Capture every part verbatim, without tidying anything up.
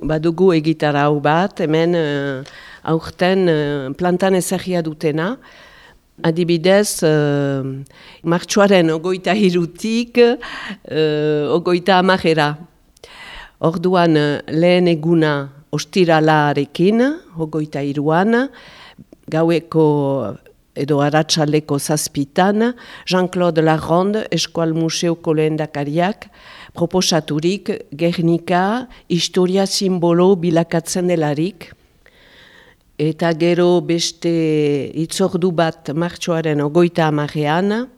badugu egitarau bat, hemen uh, aurten uh, plantan ezagia dutena. Adibidez, uh, martxoaren ogoita hirutik uh, ogoita amajera. Orduan lehen eguna ostiralarekin, ogoita hiruan, gaueko edo arratsaleko zazpitan, Jean-Claude Laronde, Eskual Museoko lehendakariak, proposaturik Gernika historia simbolo bilakatzen delarik. Eta gero beste itzordu bat martxoaren ogoita amarean,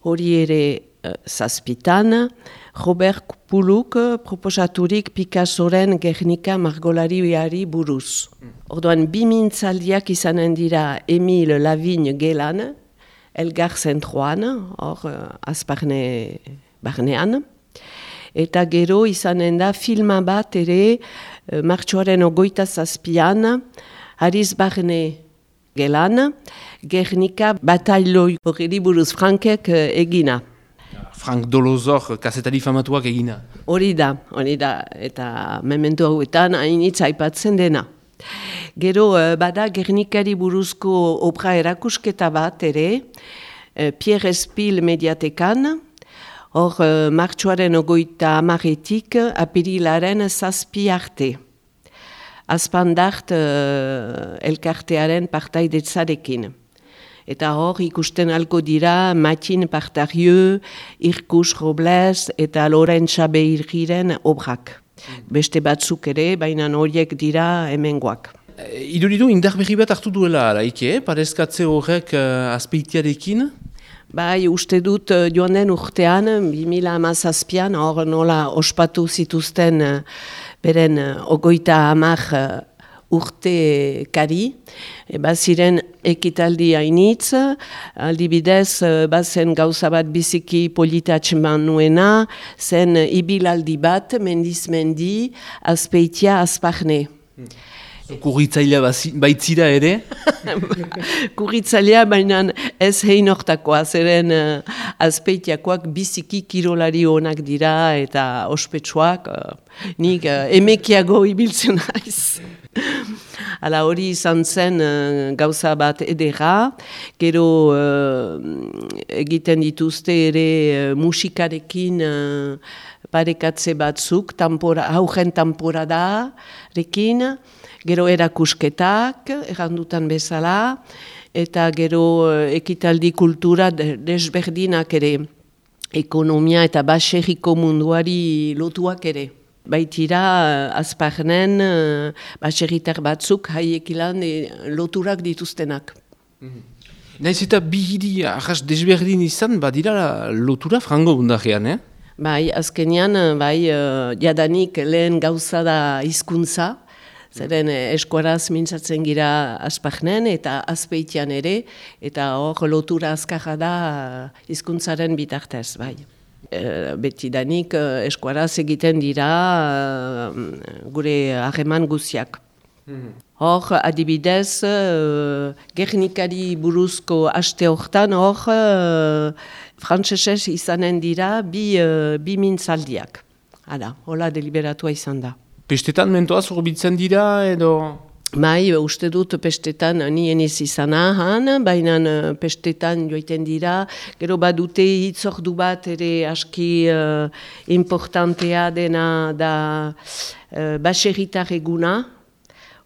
hori ere uh, zazpitan, Robert Puluk proposaturik Picassoren Gernika margolariari buruz. Orduan, bi mintzaldiak izanen dira Emile Lavigne gelan, Elgar zentroan, hor uh, azparne barnean. Eta gero izanen da filma bat ere uh, martxoaren ogoita zazpian, Hariz Barne gelan, Gernika batailoi horri buruz Frankek uh, egina. Frank Dolozor, kazetari famatuak egina. Hori da, hori da, eta mementu hauetan hainitz aipatzen dena. Gero bada Gernikari buruzko obra erakusketa bat ere, Pierre Espil mediatekan, hor martxoaren ogoita amaretik apirilaren zazpi arte. Azpandart uh, elkartearen partaidetzarekin. Eta hor ikusten alko dira Matin Partarieu, Irkus Robles eta Lorentza Beirgiren obrak. Beste batzuk ere, baina horiek dira hemengoak. Iduridu indar berri bat hartu duela araike, parezkatze horrek uh, azpeitiarekin? Bai, uste dut uh, joan den urtean, bi mila hamazazpian, hor nola ospatu zituzten uh, beren uh, ogoita hamar uh, urte kari, e, baziren ekitaldi hainitz, aldibidez bazen gauza bat biziki politatxeman nuena, zen ibilaldi bat, mendiz mendi, azpeitia azparne. Hmm. Kurritzailea baitzira ere? Kurritzailea baina ez hein hortakoa, zeren uh, azpeitiakoak biziki kirolari onak dira eta ospetsuak, uh, nik uh, emekiago ibiltzen naiz. Hala hori izan zen uh, gauza bat edera, gero uh, egiten dituzte ere uh, musikarekin uh, parekatze batzuk, tampora, haugen tamporadarekin, gero erakusketak, errandutan bezala, eta gero uh, ekitaldi kultura desberdinak ere, ekonomia eta baserriko munduari lotuak ere. Baitira, azparnen, baserritar batzuk, haiekilan loturak dituztenak. Mm-hmm. Naiz eta bi hiri ahas desberdin izan, badira lotura frango bundarean, eh? Bai, azkenean, bai, jadanik lehen gauza da hizkuntza, zeren eskuaraz mintzatzen gira azparnen eta azpeitian ere, eta hor lotura azkarra da hizkuntzaren bitartez, bai. Uh, betidanik uh, eskuaraz egiten dira uh, gure harreman guziak. Mm-hmm. Hor, adibidez, uh, Gernikari buruzko aste hortan, hor, uh, frantsesez izanen dira bi, uh, bi mintzaldiak. Hala, hola deliberatua izan da. Pestetan mentoaz horbitzen dira edo... Bai, uste dut pestetan nien ez izana han, baina pestetan joiten dira, gero badute hitzordu bat ere aski uh, importantea dena da uh, baserritar eguna,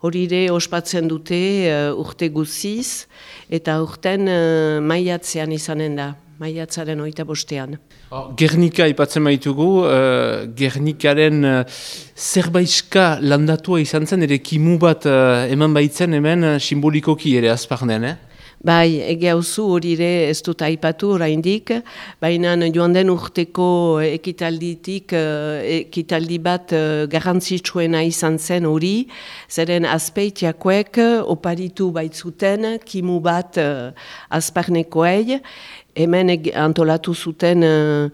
hori ere ospatzen dute uh, urte guziz, eta urten uh, maiatzean izanen da, maiatzaren oita bostean. Oh, Gernika ipatzen baitugu, uh, Gernikaren uh, zerbaizka landatua izan zen, ere kimu bat uh, eman baitzen hemen uh, simbolikoki ere azparnen, eh? Bai, ege hauzu hori ere ez dut aipatu oraindik, baina joan den urteko ekitalditik, ekitaldi bat garrantzitsuena izan zen hori, zeren azpeitiakoek oparitu baitzuten kimu bat azparnekoei, hemen antolatu zuten uh,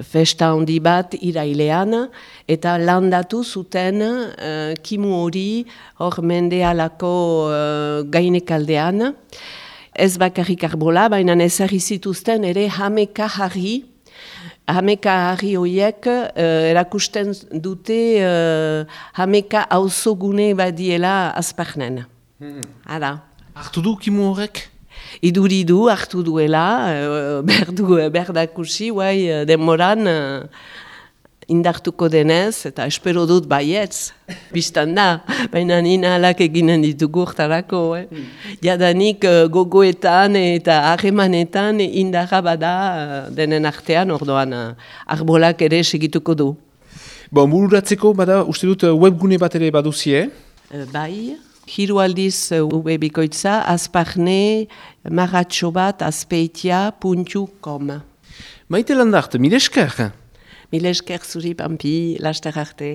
festa handi bat irailean, eta landatu zuten uh, kimu hori hor mendealako uh, gainekaldean. Ez bakarrik arbola, baina ezarri zituzten ere hameka jarri Hameka harri horiek uh, erakusten dute uh, hameka auzogune badiela Azparnen. Hmm. Hala. Hartu du kimu horrek? Iduri du, hartu duela, uh, berdu, berdakusi, guai, denmoran uh, indartuko denez, eta espero dut baietz, biztan da, baina nina alak eginen ditugu urtarako. Eh? Mm. Jadanik uh, gogoetan eta harremanetan indarra bada uh, denen artean, ordoan uh, arbolak ere segituko du. Bon, bururatzeko, bada, uste dut webgune bat ere baduzie? Uh, bai, hiru aldiz uh, webikoitza, azparne, maratxo bat, azpeitia puntu com. Maite Landart, mil esker? Mil esker zuri, Pampi, laster arte.